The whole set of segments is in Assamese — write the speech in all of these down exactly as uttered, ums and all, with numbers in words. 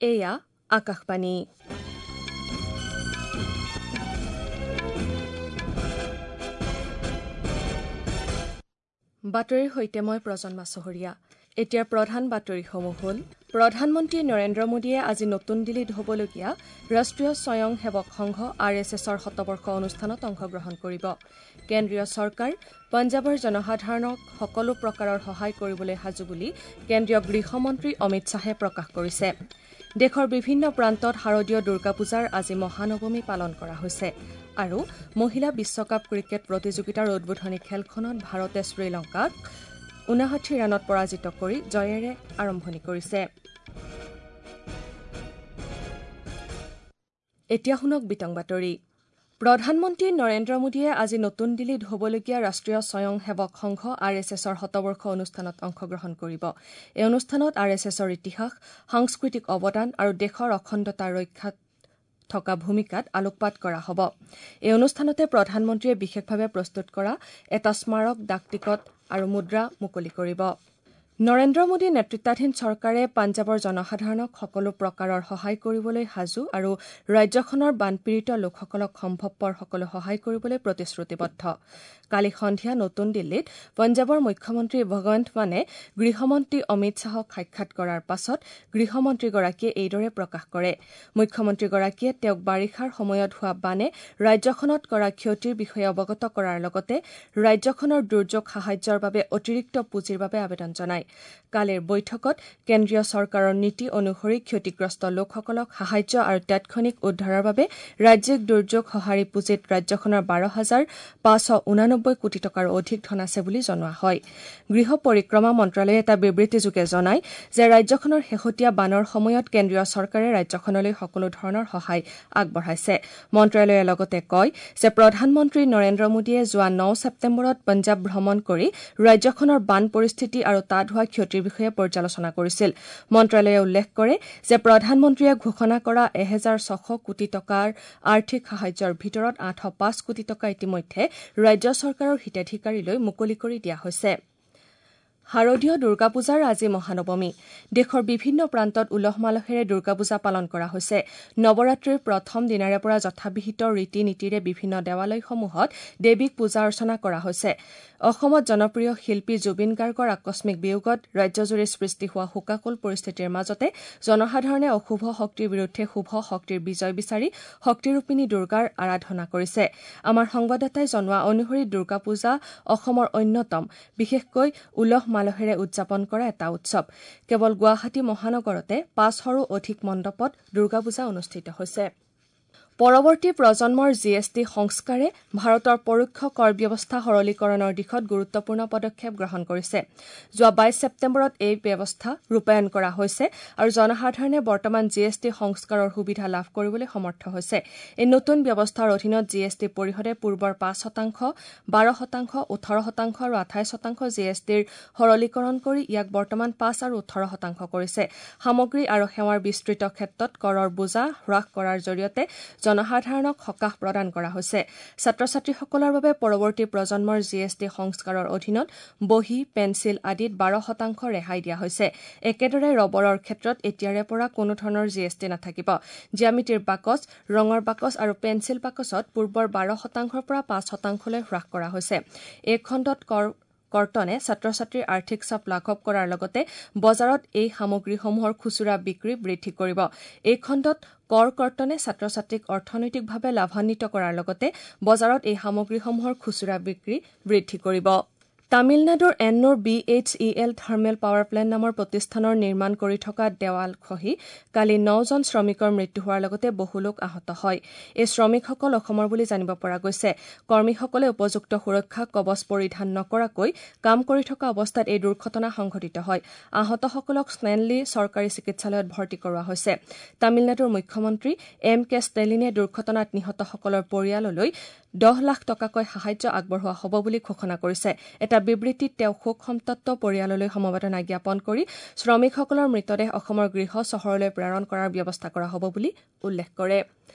এয়া আকাশবাণী। বাতৰিৰ সৈতে মই প্ৰজন্মা চহৰীয়া। এতিয়া প্ৰধান বাতৰিসমূহ হ'ল: প্ৰধানমন্ত্ৰী নৰেন্দ্ৰ মোদীয়ে আজি নতুন দিল্লীত হ'বলগীয়া ৰাষ্ট্ৰীয় স্বয়ং সেৱক সংঘ আৰ এছ এছৰ শতবৰ্ষ অনুষ্ঠানত অংশগ্ৰহণ কৰিব। কেন্দ্ৰীয় চৰকাৰ পঞ্জাৱৰ জনসাধাৰণক সকলো প্ৰকাৰৰ সহায় কৰিবলৈ সাজু বুলি কেন্দ্ৰীয় গৃহমন্ত্ৰী অমিত শ্বাহে প্ৰকাশ কৰিছে। দেশৰ বিভিন্ন প্ৰান্তত শাৰদীয় দুৰ্গা পূজাৰ আজি মহানৱমী পালন কৰা হৈছে। আৰু মহিলা বিশ্বকাপ ক্ৰিকেট প্ৰতিযোগিতাৰ উদ্বোধনী খেলখনত ভাৰতে শ্ৰীলংকাক ঊনষাঠি ৰানত পৰাজিত কৰি জয়েৰে আৰম্ভণি কৰিছে। এতিয়া শুনক বিতং বাতৰি। প্ৰধানমন্ত্ৰী নৰেন্দ্ৰ মোদীয়ে আজি নতুন দিল্লীত হ'বলগীয়া ৰাষ্ট্ৰীয় স্বয়ং সেৱক সংঘ আৰ এছ এছৰ শতবৰ্ষ অনুষ্ঠানত অংশগ্ৰহণ কৰিব। এই অনুষ্ঠানত আৰ এছ এছৰ ইতিহাস, সাংস্কৃতিক অৱদান আৰু দেশৰ অখণ্ডতা ৰক্ষাত থকা ভূমিকাত আলোকপাত কৰা হ'ব। এই অনুষ্ঠানতে প্ৰধানমন্ত্ৰীয়ে বিশেষভাৱে প্ৰস্তুত কৰা এটা স্মাৰক ডাকটিকট আৰু মুদ্ৰা মুকলি কৰিব। নৰেন্দ্ৰ মোদী নেতৃত্বাধীন চৰকাৰে পঞ্জাৱৰ জনসাধাৰণক সকলো প্ৰকাৰৰ সহায় কৰিবলৈ সাজু আৰু ৰাজ্যখনৰ বানপীড়িত লোকসকলক সম্ভৱপৰ সকলো সহায় কৰিবলৈ প্ৰতিশ্ৰুতিবদ্ধ। কালি সন্ধিয়া নতুন দিল্লীত পঞ্জাৱৰ মুখ্যমন্ত্ৰী ভগৱন্ত মানে গৃহমন্ত্ৰী অমিত শ্বাহক সাক্ষাৎ কৰাৰ পাছত গৃহমন্ত্ৰীগৰাকীয়ে এইদৰে প্ৰকাশ কৰে। মুখ্যমন্ত্ৰীগৰাকীয়ে তেওঁক বাৰিষাৰ সময়ত হোৱা বানে ৰাজ্যখনত কৰা ক্ষতিৰ বিষয়ে অৱগত কৰাৰ লগতে ৰাজ্যখনৰ দুৰ্যোগ সাহায্যৰ বাবে অতিৰিক্ত পুঁজিৰ বাবে আবেদন জনায়। কালিৰ বৈঠকত কেন্দ্ৰীয় চৰকাৰৰ নীতি অনুসৰি ক্ষতিগ্ৰস্ত লোকসকলক সাহায্য আৰু তাৎক্ষণিক উদ্ধাৰৰ বাবে ৰাজ্যিক দুৰ্যোগ সঁহাৰি পুঁজিত ৰাজ্যখনৰ বাৰ হাজাৰ পাঁচশ ঊনানব্বৈ কোটি টকাৰো অধিক ধন আছে বুলি জনোৱা হয়। গৃহ পৰিক্ৰমা মন্ত্ৰালয়ে এটা বিবৃতিযোগে জনায় যে ৰাজ্যখনৰ শেহতীয়া বানৰ সময়ত কেন্দ্ৰীয় চৰকাৰে ৰাজ্যখনলৈ সকলো ধৰণৰ সহায় আগবঢ়াইছে। মন্ত্ৰালয়ে লগতে কয় যে প্ৰধানমন্ত্ৰী নৰেন্দ্ৰ মোদীয়ে যোৱা ন ছেপ্টেম্বৰত পঞ্জাৱ ভ্ৰমণ কৰি ৰাজ্যখনৰ বান পৰিস্থিতি আৰু তাত হোৱা ক্ষতিৰ বিষয়ে পৰ্যালোচনা কৰিছিল। মন্ত্ৰালয়ে উল্লেখ কৰে যে প্ৰধানমন্ত্ৰীয়ে ঘোষণা কৰা এহেজাৰ ছশ কোটি টকাৰ আৰ্থিক সাহায্যৰ ভিতৰত আঠশ পাঁচ কোটি টকা ইতিমধ্যে ৰাজ্য চৰকাৰৰ হিতাধিকাৰীলৈ মুকলি কৰি দিয়া হৈছে। শাৰদীয় দুৰ্গা পূজাৰ আজি মহানৱমী। দেশৰ বিভিন্ন প্ৰান্তত উলহ মালহেৰে দুৰ্গা পূজা পালন কৰা হৈছে। নৱৰাত্ৰিৰ প্ৰথম দিনাৰে পৰা যথাবিহিত ৰীতি নীতিৰে বিভিন্ন দেৱালয়সমূহত দেৱীক পূজা অৰ্চনা কৰা হৈছে। অসমত জনপ্ৰিয় শিল্পী জুবিন গাৰ্গৰ আকস্মিক বিয়োগত ৰাজ্যজুৰি সৃষ্টি হোৱা শোকাকুল পৰিস্থিতিৰ মাজতে জনসাধাৰণে অশুভ শক্তিৰ বিৰুদ্ধে শুভ শক্তিৰ বিজয় বিচাৰি শক্তিৰূপিণী দুৰ্গাৰ আৰাধনা কৰিছে। আমাৰ সংবাদদাতাই জনোৱা অনুসৰি দুৰ্গা পূজা অসমৰ অন্যতম বিশেষকৈ উলহ মালহেৰে উদযাপন কৰা এটা উৎসৱ। কেৱল গুৱাহাটী মহানগৰতে পাঁচশৰো অধিক মণ্ডপত দুৰ্গা পূজা অনুষ্ঠিত হৈছে। পৰৱৰ্তী প্ৰজন্মৰ জি এছ টি সংস্কাৰে ভাৰতৰ পৰোক্ষ কৰ ব্যৱস্থা সৰলীকৰণৰ দিশত গুৰুত্বপূৰ্ণ পদক্ষেপ গ্ৰহণ কৰিছে। যোৱা বাইছ ছেপ্টেম্বৰত এই ব্যৱস্থা ৰূপায়ণ কৰা হৈছে আৰু জনসাধাৰণে বৰ্তমান জি এছ টি সংস্কাৰৰ সুবিধা লাভ কৰিবলৈ সমৰ্থ হৈছে। এই নতুন ব্যৱস্থাৰ অধীনত জি এছ টি পৰিষদে পূৰ্বৰ পাঁচ শতাংশ, বাৰ শতাংশ, ওঠৰ শতাংশ আৰু আঠাইছ শতাংশ জি এছ টিৰ সৰলীকৰণ কৰি ইয়াক বৰ্তমান পাঁচ আৰু ওঠৰ শতাংশ কৰিছে। সামগ্ৰী আৰু সেৱাৰ বিস্তৃত ক্ষেত্ৰত কৰৰ বোজা হ্ৰাস কৰাৰ জৰিয়তে জনসাধাৰণক সকাহ প্ৰদান কৰা হৈছে। ছাত্ৰ ছাত্ৰীসকলৰ বাবে পৰৱৰ্তী প্ৰজন্মৰ জি এছ টি সংস্কাৰৰ অধীনত বহী, পেঞ্চিল আদিত বাৰ শতাংশ ৰেহাই দিয়া হৈছে। একেদৰে ৰবৰৰ ক্ষেত্ৰত এতিয়াৰে পৰা কোনো ধৰণৰ জি এছ টি নাথাকিব। জ্যামিতিৰ বাকচ, ৰঙৰ বাকচ আৰু পেঞ্চিল বাকচত পূৰ্বৰ বাৰ শতাংশৰ পৰা পাঁচ শতাংশলৈ হ্ৰাস কৰা হৈছে। এই খণ্ডত কৰ কৰ্তনে ছাত্ৰ ছাত্ৰীৰ আৰ্থিক চাপ লাঘৱ কৰাৰ লগতে বজাৰত এই সামগ্ৰীসমূহৰ খুচুৰা বিক্ৰী বৃদ্ধি কৰিব। এই খণ্ডত কৰ কৰ্তনে ছাত্ৰ ছাত্ৰীক অৰ্থনৈতিকভাৱে লাভান্বিত কৰাৰ লগতে বজাৰত এই সামগ্ৰীসমূহৰ খুচুৰা বিক্ৰী বৃদ্ধি কৰিব। তামিলনাডুৰ Ennore B H E L thermal power plant নামৰ প্ৰতিষ্ঠানৰ নিৰ্মাণ কৰি থকা দেৱাল খহি কালি নজন শ্ৰমিকৰ মৃত্যু হোৱাৰ লগতে বহু লোক আহত হয়। এই শ্ৰমিকসকল অসমৰ বুলি জানিব পৰা গৈছে। কৰ্মীসকলে উপযুক্ত সুৰক্ষা কবচ পৰিধান নকৰাকৈ কাম কৰি থকা অৱস্থাত এই দুৰ্ঘটনা সংঘটিত হয়। আহতসকলক ষ্টেনলি চৰকাৰী চিকিৎসালয়ত ভৰ্তি কৰোৱা হৈছে। তামিলনাডুৰ মুখ্যমন্ত্ৰী এম কে ষ্টেলিনে দুৰ্ঘটনাত নিহতসকলৰ পৰিয়াললৈ দহ লাখ টকাকৈ সাহায্য আগবঢ়োৱা হ'ব বুলি ঘোষণা কৰিছে। এটা বিবৃতিত তেওঁ শোক সন্তপ্ত পৰিয়াললৈ সমবেদনা জ্ঞাপন কৰি শ্ৰমিকসকলৰ মৃতদেহ অসমৰ গৃহ চহৰলৈ প্ৰেৰণ কৰাৰ ব্যৱস্থা কৰা হ'ব বুলি উল্লেখ কৰে।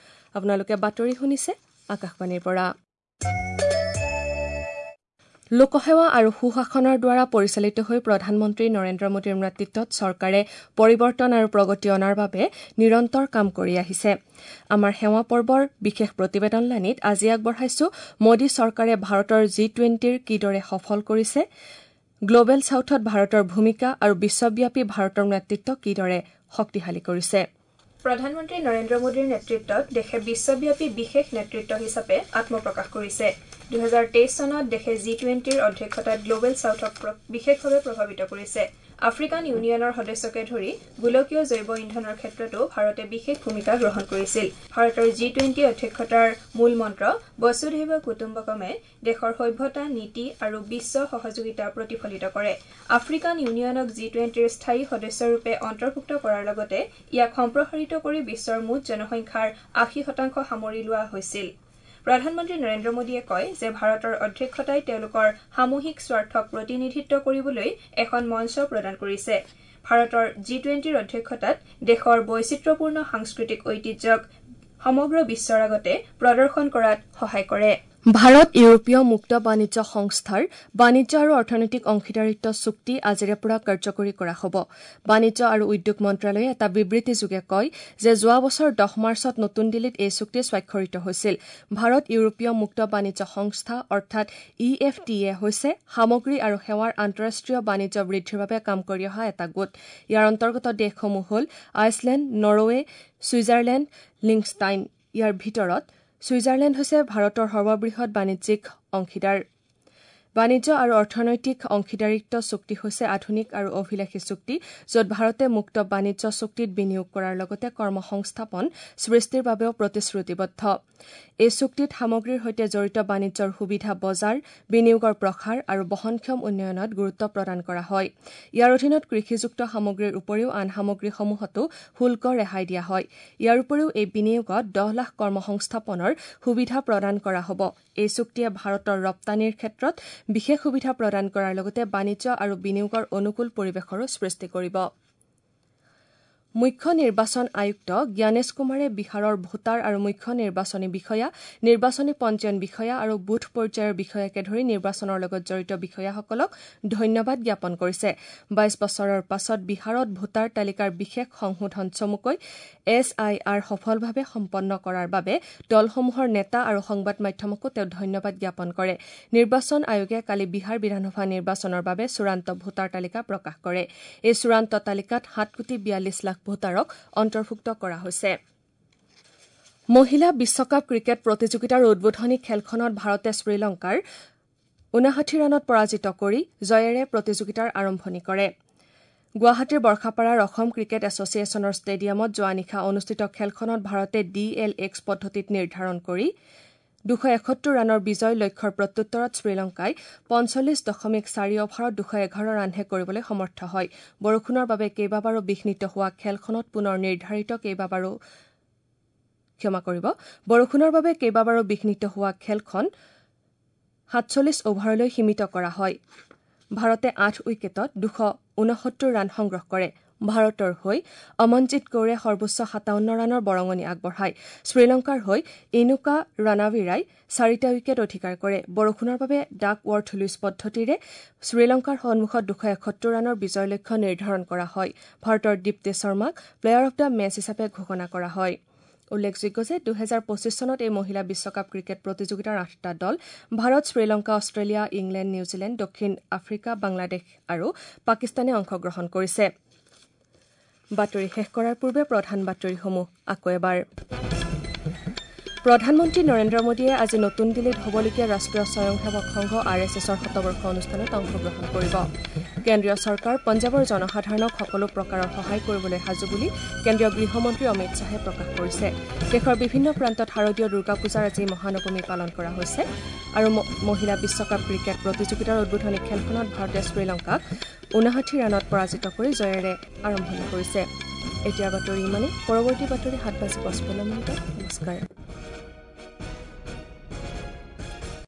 আপোনালোকে বাতৰি শুনিছে আকাশবাণীৰ পৰা। লোকসেৱা আৰু সুশাসনৰ দ্বাৰা পৰিচালিত হৈ প্ৰধানমন্ত্ৰী নৰেন্দ্ৰ মোদীৰ নেতৃত্বত চৰকাৰে পৰিৱৰ্তন আৰু প্ৰগতি অনাৰ বাবে নিৰন্তৰ কাম কৰি আহিছে। আমাৰ সেৱা পৰ্বৰ বিশেষ প্ৰতিবেদন লানিত আজি আগবঢ়াইছো মোদী চৰকাৰে ভাৰতৰ জি টুৱেণ্টিৰ কিদৰে সফল কৰিছে, গ্লবেল ছাউথত ভাৰতৰ ভূমিকা আৰু বিশ্বব্যাপী ভাৰতৰ নেতৃত্ব কিদৰে শক্তিশালী কৰিছে। প্ৰধানমন্ত্ৰী নৰেন্দ্ৰ মোদীৰ নেতৃত্বত দেশে বিশ্বব্যাপী বিশেষ নেতৃত্ব হিচাপে আত্মপ্ৰকাশ কৰিছে। দুহেজাৰ তেইছ চনত দেশে জি টুৱেণ্টিৰ অধ্যক্ষতাত গ্লবেল ছাউথক বিশেষভাৱে প্ৰভাৱিত কৰিছে। আফ্ৰিকান ইউনিয়নৰ সদস্যকে ধৰি গোলকীয় জৈৱ ইন্ধনৰ ক্ষেত্ৰতো ভাৰতে বিশেষ ভূমিকা গ্ৰহণ কৰিছিল। ভাৰতৰ জি টুৱেণ্টি অধ্যক্ষতাৰ মূল মন্ত্ৰ বসুধৈৱ কুটুম্বকমে দেশৰ সভ্যতা, নীতি আৰু বিশ্ব সহযোগিতা প্ৰতিফলিত কৰে। আফ্ৰিকান ইউনিয়নক জি টুৱেণ্টিৰ স্থায়ী সদস্যৰূপে অন্তৰ্ভুক্ত কৰাৰ লগতে ইয়াক সম্প্ৰসাৰিত কৰি বিশ্বৰ মুঠ জনসংখ্যাৰ আশী শতাংশ সামৰি লোৱা হৈছিল। প্ৰধানমন্ত্ৰী নৰেন্দ্ৰ মোদীয়ে কয় যে ভাৰতৰ অধ্যক্ষতাই তেওঁলোকৰ সামূহিক স্বাৰ্থক প্ৰতিনিধিত্ব কৰিবলৈ এখন মঞ্চ প্ৰদান কৰিছে। ভাৰতৰ জি টুৱেণ্টিৰ অধ্যক্ষতাত দেশৰ বৈচিত্ৰ্যপূৰ্ণ সাংস্কৃতিক ঐতিহ্যক সমগ্ৰ বিশ্বৰ আগতে প্ৰদৰ্শন কৰাত সহায় কৰে। ভাৰত ইউৰোপীয় মুক্ত বাণিজ্য সংস্থাৰ বাণিজ্য আৰু অৰ্থনৈতিক অংশীদাৰিত্ব চুক্তি আজিৰে পৰা কাৰ্যকৰী কৰা হ'ব। বাণিজ্য আৰু উদ্যোগ মন্ত্ৰালয়ে এটা বিবৃতিযোগে কয় যে যোৱা বছৰ দহ মাৰ্চত নতুন দিল্লীত এই চুক্তি স্বাক্ষৰিত হৈছিল। ভাৰত ইউৰোপীয় মুক্ত বাণিজ্য সংস্থা অৰ্থাৎ ই এফ টি এ হৈছে সামগ্ৰী আৰু সেৱাৰ আন্তঃৰাষ্ট্ৰীয় বাণিজ্য বৃদ্ধিৰ বাবে কাম কৰি অহা এটা গোট। ইয়াৰ অন্তৰ্গত দেশসমূহ হ'ল আইচলেণ্ড, নৰৱে, ছুইজাৰলেণ্ড, লিংষ্টাইন। ইয়াৰ ভিতৰত ছুইজাৰলেণ্ড হৈছে ভাৰতৰ সৰ্ববৃহৎ বাণিজ্যিক অংশীদাৰ। বাণিজ্য আৰু অৰ্থনৈতিক অংশীদাৰিত্ব চুক্তি হৈছে আধুনিক আৰু অভিলাষী চুক্তি, য'ত ভাৰতে মুক্ত বাণিজ্য চুক্তিত বিনিয়োগ কৰাৰ লগতে কৰ্মসংস্থাপন সৃষ্টিৰ বাবেও প্ৰতিশ্ৰুতিবদ্ধ। এই চুক্তিত সামগ্ৰীৰ সৈতে জড়িত বাণিজ্যৰ সুবিধা, বজাৰ, বিনিয়োগৰ প্ৰসাৰ আৰু বহনক্ষম উন্নয়নত গুৰুত্ব প্ৰদান কৰা হয়। ইয়াৰ অধীনত কৃষিযুক্ত সামগ্ৰীৰ উপৰিও আন সামগ্ৰীসমূহতো শুল্ক ৰেহাই দিয়া হয়। ইয়াৰ উপৰিও এই বিনিয়োগত দহ লাখ কৰ্মসংস্থাপনৰ সুবিধা প্ৰদান কৰা হ'ব। এই চুক্তিয়ে ভাৰতৰ ৰপ্তানিৰ ক্ষেত্ৰত বিশেষ সুবিধা প্ৰদান কৰাৰ লগতে বাণিজ্য আৰু বিনিয়োগৰ অনুকূল পৰিৱেশৰো সৃষ্টি কৰিব। মুখ্য নিৰ্বাচন আয়ুক্ত জ্ঞানেশ কুমাৰে বিহাৰৰ ভোটাৰ আৰু মুখ্য নিৰ্বাচনী বিষয়া, নিৰ্বাচনী পঞ্জীয়ন বিষয়া আৰু বুথ পৰ্যায়ৰ বিষয়াকে ধৰি নিৰ্বাচনৰ লগত জড়িত বিষয়াসকলক ধন্যবাদ জ্ঞাপন কৰিছে। বাইশ বছৰৰ পাছত বিহাৰত ভোটাৰ তালিকাৰ বিশেষ সংশোধন চমুকৈ এছ I R সফলভাৱে সম্পন্ন কৰাৰ বাবে দলসমূহৰ নেতা আৰু সংবাদ মাধ্যমকো তেওঁ ধন্যবাদ জ্ঞাপন কৰে। নিৰ্বাচন আয়োগে কালি বিহাৰ বিধানসভা নিৰ্বাচনৰ বাবে চূড়ান্ত ভোটাৰ তালিকা প্ৰকাশ কৰে। এই চূড়ান্ত তালিকাত সাত কোটি বিয়াল্লিছ লাখ ভোটাৰক অন্তৰ্ভুক্ত কৰা হৈছে। মহিলা বিশ্বকাপ ক্ৰিকেট প্ৰতিযোগিতাৰ উদ্বোধনী খেলখনত ভাৰতে শ্ৰীলংকাৰ ঊনষাঠি ৰানত পৰাজিত কৰি জয়েৰে প্ৰতিযোগিতাৰ আৰম্ভণি কৰে। গুৱাহাটীৰ বৰ্ষাপাৰাৰ অসম ক্ৰিকেট এছ'চিয়েশ্যনৰ ষ্টেডিয়ামত যোৱা নিশা অনুষ্ঠিত খেলখনত ভাৰতে ডি এল এক্স পদ্ধতিত নিৰ্ধাৰণ কৰি দুশ এসত্তৰ ৰানৰ বিজয় লক্ষ্যৰ প্ৰত্যুত্তৰত শ্ৰীলংকাই পঞ্চল্লিছ দশমিক চাৰি অভাৰত দুশ এঘাৰ ৰানহে কৰিবলৈ সমৰ্থ হয়। বৰষুণৰ বাবে কেইবাবাৰো বিঘ্নিত হোৱা খেলখনত পুনৰ নিৰ্ধাৰিত কেইবাবাৰো ক্ষমা কৰিব বৰষুণৰ বাবে কেইবাবাৰো বিঘ্নিত হোৱা খেলখন সাতচল্লিছ অভাৰলৈ সীমিত কৰা হয়। ভাৰতে আঠ উইকেটত দুশ ঊনসত্তৰ ৰান সংগ্ৰহ কৰে। ভাৰতৰ হৈ অমনজিৎ কৌৰে সৰ্বোচ্চ সাতাৱন্ন ৰানৰ বৰঙণি আগবঢ়ায়। শ্ৰীলংকাৰ হৈ ইনুকা ৰানাৱিৰাই চাৰিটা উইকেট অধিকাৰ কৰে। বৰষুণৰ বাবে ডাক ৱৰ্থ লুইচ পদ্ধতিৰে শ্ৰীলংকাৰ সন্মুখত দুশ এসত্তৰ ৰানৰ বিজয় লক্ষ্য নিৰ্ধাৰণ কৰা হয়। ভাৰতৰ দীপ্তি শৰ্মাক প্লেয়াৰ অব the match হিচাপে ঘোষণা কৰা হয়। উল্লেখযোগ্য যে দুহেজাৰ পঁচিছ চনত এই মহিলা বিশ্বকাপ ক্ৰিকেট প্ৰতিযোগিতাৰ আঠটা দল Bharat, Sri Lanka, Australia, England, New Zealand, দক্ষিণ আফ্ৰিকা, বাংলাদেশ আৰু পাকিস্তানে অংশগ্ৰহণ কৰিছে। বাতৰি শেষ কৰাৰ পূৰ্বে প্ৰধান বাতৰিসমূহ আকৌ এবাৰ। প্ৰধানমন্ত্ৰী নৰেন্দ্ৰ মোদীয়ে আজি নতুন দিল্লীত হ'বলগীয়া ৰাষ্ট্ৰীয় স্বয়ংসেৱক সংঘ আৰ এছ এছৰ শতবৰ্ষ অনুষ্ঠানত অংশগ্ৰহণ কৰিব। কেন্দ্ৰীয় চৰকাৰ পঞ্জাৱৰ জনসাধাৰণক সকলো প্ৰকাৰৰ সহায় কৰিবলৈ সাজু বুলি কেন্দ্ৰীয় গৃহমন্ত্ৰী অমিত শ্বাহে প্ৰকাশ কৰিছে। দেশৰ বিভিন্ন প্ৰান্তত শাৰদীয় দুৰ্গা পূজাৰ আজি মহানৱমী পালন কৰা হৈছে। আৰু মহিলা বিশ্বকাপ ক্ৰিকেট প্ৰতিযোগিতাৰ উদ্বোধনী খেলখনত ভাৰতে শ্ৰীলংকাক ঊনষাঠি ৰানত পৰাজিত কৰি জয়েৰে আৰম্ভণি কৰিছে। এতিয়াৰ বাতৰি ইমানেই। পৰৱৰ্তী বাতৰি সাত বাজি পঁচপন্ন মিনিটত। নমস্কাৰ।